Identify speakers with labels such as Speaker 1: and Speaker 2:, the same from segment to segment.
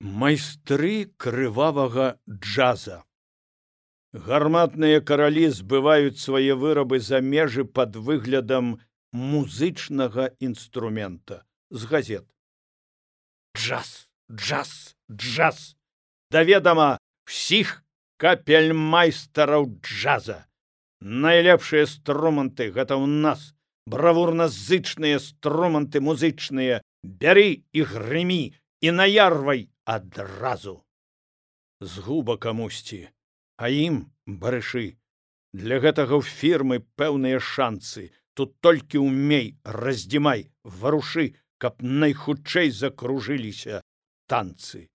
Speaker 1: Майстры крывавага джаза. Гарматныя каралі збываюць свае вырабы за межы пад выглядам музычнага інструмента. З газет. Джаз, джаз, джаз. Даведама всіх капельмайстараў джаза. Найлепшыя струманты гэта ў нас. Бравурна-зычныя струманты музычныя. Бяры і грымі і наярвай адразу. Згуба камусьці, а ім барышы. Для гэтага ў фірмы пэўныя шанцы. Тут толькі ўмей, раздзімай, варушы, каб найхутчэй закружыліся танцы.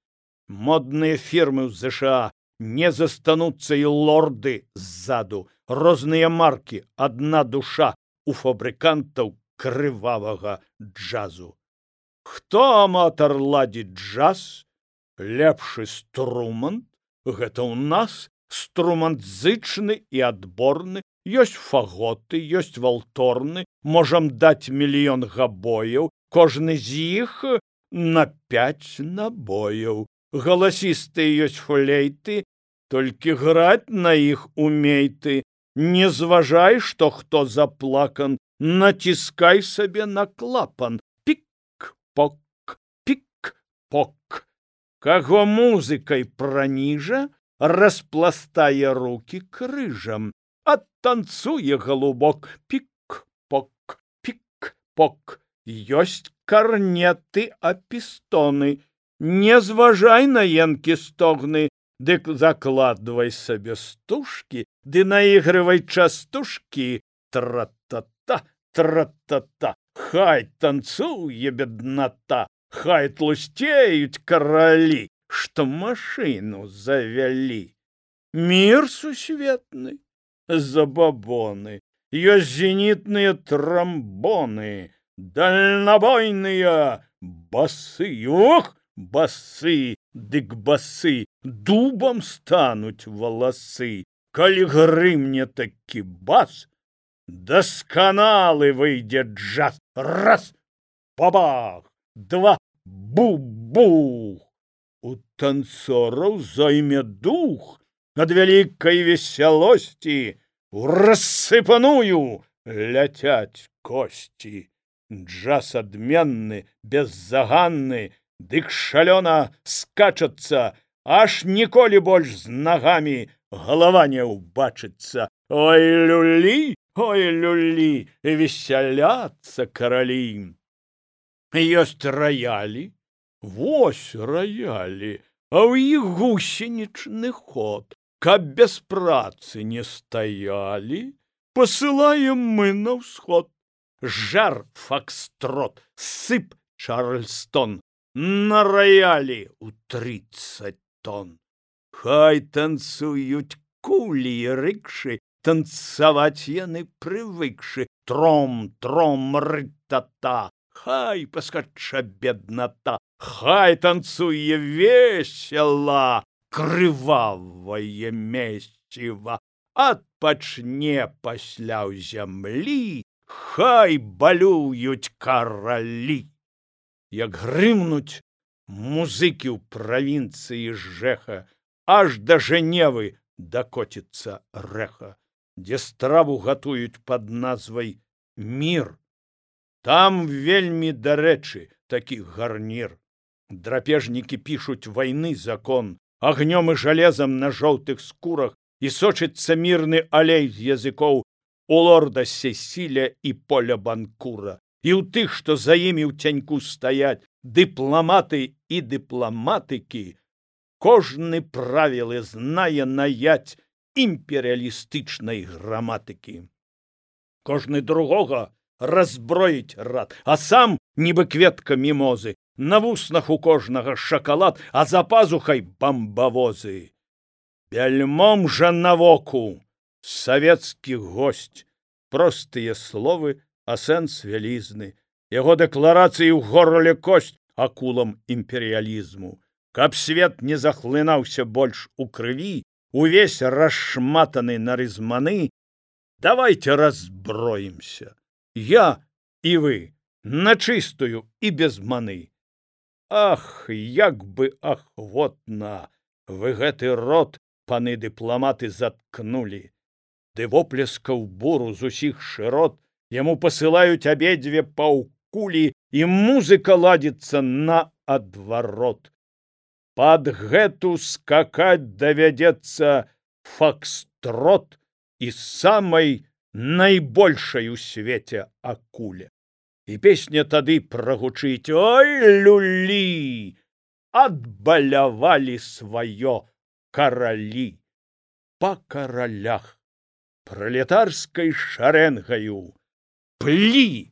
Speaker 1: Модныя фірмы ў ЗША, не застануцца і лорды ззаду. Розныя маркі, адна душа у фабрыкантаў крывавага джазу. Хто аматар ладзіць джаз? Лепшы струмант, гэта ў нас струмант зычны і адборны, ёсць фаготы, ёсць валторны, можам даць мільён габояў, кожны з іх на 5 набояў. Галасістыя ёсць флейты, толькі граць на іх умей ты. Не зважай, што хто заплакан, націскай сабе на клапан. Пік-пок, пік-пок. Каго музыкай праніжа, распластае рукі крыжам, адтанцуе галубок. Пік-пок, пік-пок. Ёсць карнеты, апістоны. Не зважай на енкі стогны, дык закладвай сабе стужкі, ды наігрывай частушкі. Тра-та-та, тра-та-та. Хай танцуе бедната, хай тлусцеюць каралі, што машыну завялі. Мір сусветны, забабоны, ёсць зенітныя трамбоны, дальнабойныя басы. Ох, басы, дык басы, дубам стануць валасы. Калі грымне такі бас, дасканалы выйдзе джаз. Раз, бабах, два, бу-бух. У танцораў зойме дух ад вялікай весялосці. У рассыпаную ляцяць косці. Джаз адменны, беззаганны, дык шалёна скачацца, аж ніколі больш з нагамі галава не ўбачыцца. Ой, люлі, весяляцца каралі. Ёсць раялі, вось раялі, а ў іх гусенічны ход. Каб без працы не стаялі, пасылаем мы на ўсход. Жар факстрот, сып чарльстон, на раялі ў 30 тонн. Хай танцуюць кулі і рыкшы, танцаваць яны прывыкшы. Тром-тром, ры-та-та, хай паскача бедната, хай танцуе весела, крывавае месціва. Адпачне пасля ў зямлі, хай балююць каралі. Як грымнуць музыкі ў правінцыі жэха, аж да Жэневы дакоціцца рэха, дзе страву гатуюць пад назвай мір. Там вельмі дарэчы такі гарнір. Драпежнікі пішуць вайны закон, агнём і жалезам на жоўтых скурах, і сочыцца мірны алей з языкоў у лорда Сесіля і Поля Банкура. І ў тых, што за імі ў цяньку стаяць, дыпламаты і дыпламатыкі, кожны правілы знае наять імперыялістычнай граматыкі. Кожны другога разброіць рад, а сам, нібы кветка мімозы, на вуснах у кожнага шакалад, а за пазухай бамбавозы. Бяльмом жа навоку савецкі госць, простыя словы, а сэнс вялізны. Яго дэкларацыі ў горле косць акулам імперыялізму. Каб свет не захлынаўся больш у крыві, увесь расшматаны на рызманы, давайте разброімся. Я і вы, на чыстую і без маны. Ах, як бы ахвотна вы гэты рот, паны дыпламаты, заткнулі. Ды воплескаў буру з усіх шырот яму пасылаюць абедзве паўкулі, і музыка ладзіцца наадварот. Пад гэту скакаць давядзецца фокстрот і самай найбольшай у свеце акуле. І песня тады прагучыць: ой, люлі, адбалявалі сваё каралі. Па каралях пралетарскай шарэнгаю плі